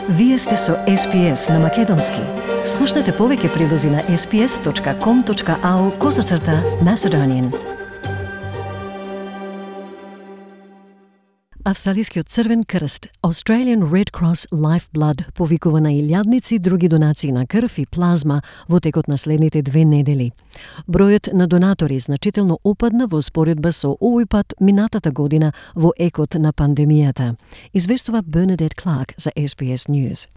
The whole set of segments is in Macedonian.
Вие сте со SPS на Македонски. Слушнете повеќе прилози на sps.com.au/Macedonian. Австралискиот Црвен крст, Australian Red Cross Lifeblood, повикува на илјадници други донации на крв и плазма во текот на следните 2 недели. Бројот на донатори значително опадна во споредба со овој пат минатата година во екот на пандемијата, известува Bernadette Clark за SBS News.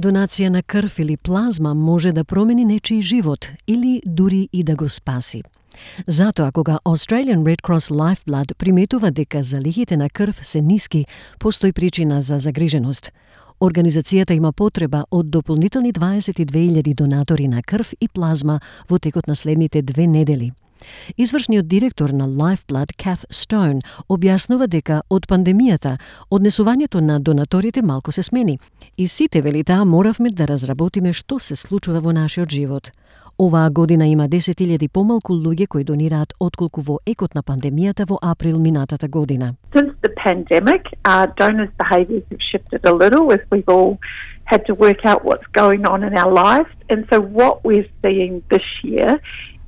Донација на крв или плазма може да промени нечiji живот или дури и да го спаси. Затоа, кога Australian Red Cross Lifeblood приметува дека залихите на крв се ниски, постои причина за загриженост. Организацијата има потреба од дополнителни 22,000 донатори на крв и плазма во текот на следните 2 недели. Извршниот директор на Lifeblood, Kath Stone, објаснува дека од пандемијата однесувањето на донаторите малку се смени и сите, вели таа, моравме да разработиме што се случува во нашиот живот. Оваа година има 10,000 помалку луѓе кои донираат отколку во екот на пандемијата во април минатата година. Since the pandemic, donors' behaviours have shifted a little as we've all had to work out what's going on in our lives. And so what we're seeing this year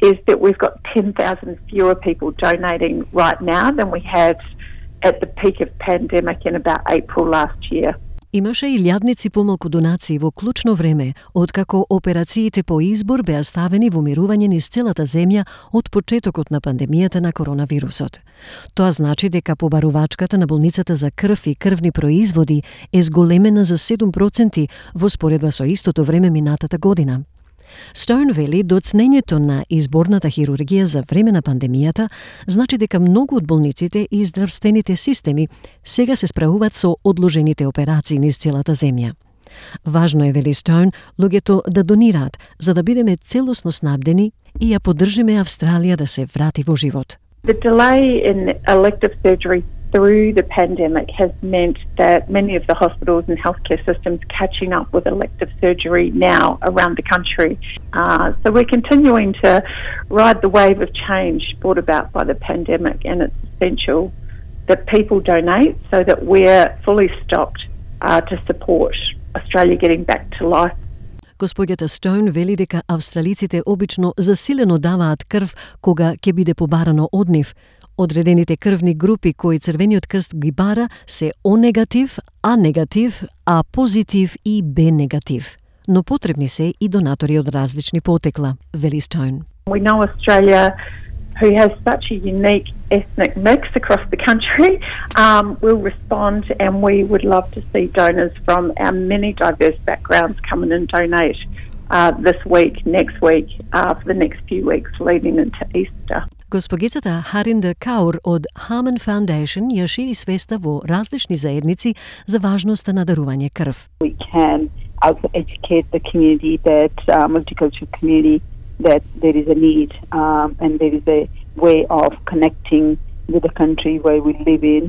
is that we've got 10,000 fewer people donating right now than we had at the peak of pandemic in about April last year. Имаше илјадници помалку донации во клучно време, откако операциите по избор беа ставени во мирување низ целата земја од почетокот на пандемијата на коронавирусот. Тоа значи дека побарувачката на болницата за крв и крвни производи е зголемена за 7% во споредба со истото време минатата година. Стоун вели доцнењето на изборната хирургија за време на пандемијата значи дека многу од болниците и здравствените системи сега се справуваат со одложените операции низ целата земја. Важно е, вели Стоун, луѓето да донираат за да бидеме целосно снабдени и ја поддржиме Австралија да се врати во живот. The delay in elective surgery through the pandemic has meant that many of the hospitals and healthcare systems catching up with elective surgery now around the country. So we're continuing to ride the wave of change brought about by the pandemic, and it's essential that people donate so that we're fully stocked to support Australia getting back to life. Господјата Стоун вели дека австралиците обично засилено даваат крв кога ќе биде побарано од нив. Одредените крвни групи кои Црвениот крст ги бара се О негатив, А негатив, А позитив и Б негатив. Но потребни се и донатори од различни потекла, вели Стоун. We know Australia, who has such a unique ethnic mix across the country, will respond, and we would love to see donors from our many diverse backgrounds come in and donate this week, next week, for the next few weeks leading into Easter. Госпогицата Харинда Каур од Harman Foundation ја шири свеста во различни заедници за важноста на дарување крв. We can also educate the community, that multicultural community, that there is a need and there is a way of connecting with the country where we live in,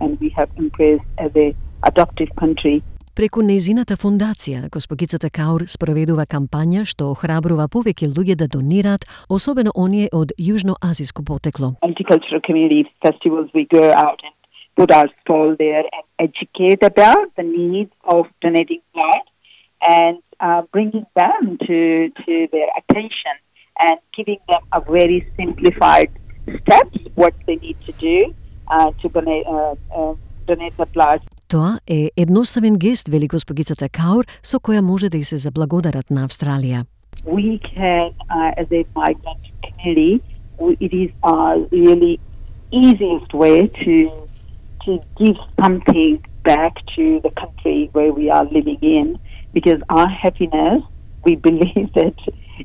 and we have embraced as a adoptive country. Преку нејзината фондација, госпогицата Каур спроведува кампања што охрабрува повеќе луѓе да донираат, особено оние од јужноазиско потекло. Multicultural community festivals, we go out and put our stall there and educate about the needs of donating blood and bringing them to their attention and giving them a very simplified steps what they need to do to donate the blood. Тоа е едноставен гест, вели госпогицата Каур, со која може да и се заблагодарат на Австралија. We can, as a migrant community, it is really easiest way to give something back to the country where we are living in, because our happiness, we believe that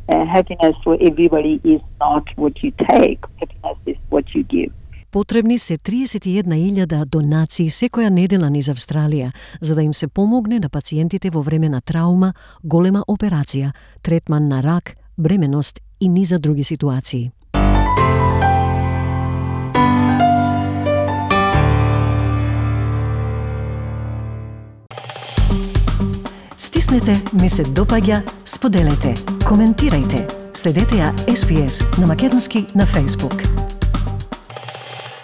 happiness for everybody is not what you take, happiness is what you give. Потребни се 31,000 донации секоја недела низ Австралија, за да им се помогне на пациентите во време на траума, голема операција, третман на рак, бременост и низа други ситуации. Стиснете, ми се допаѓа, споделете, коментирајте. Следете ја SPS на Македонски на Facebook.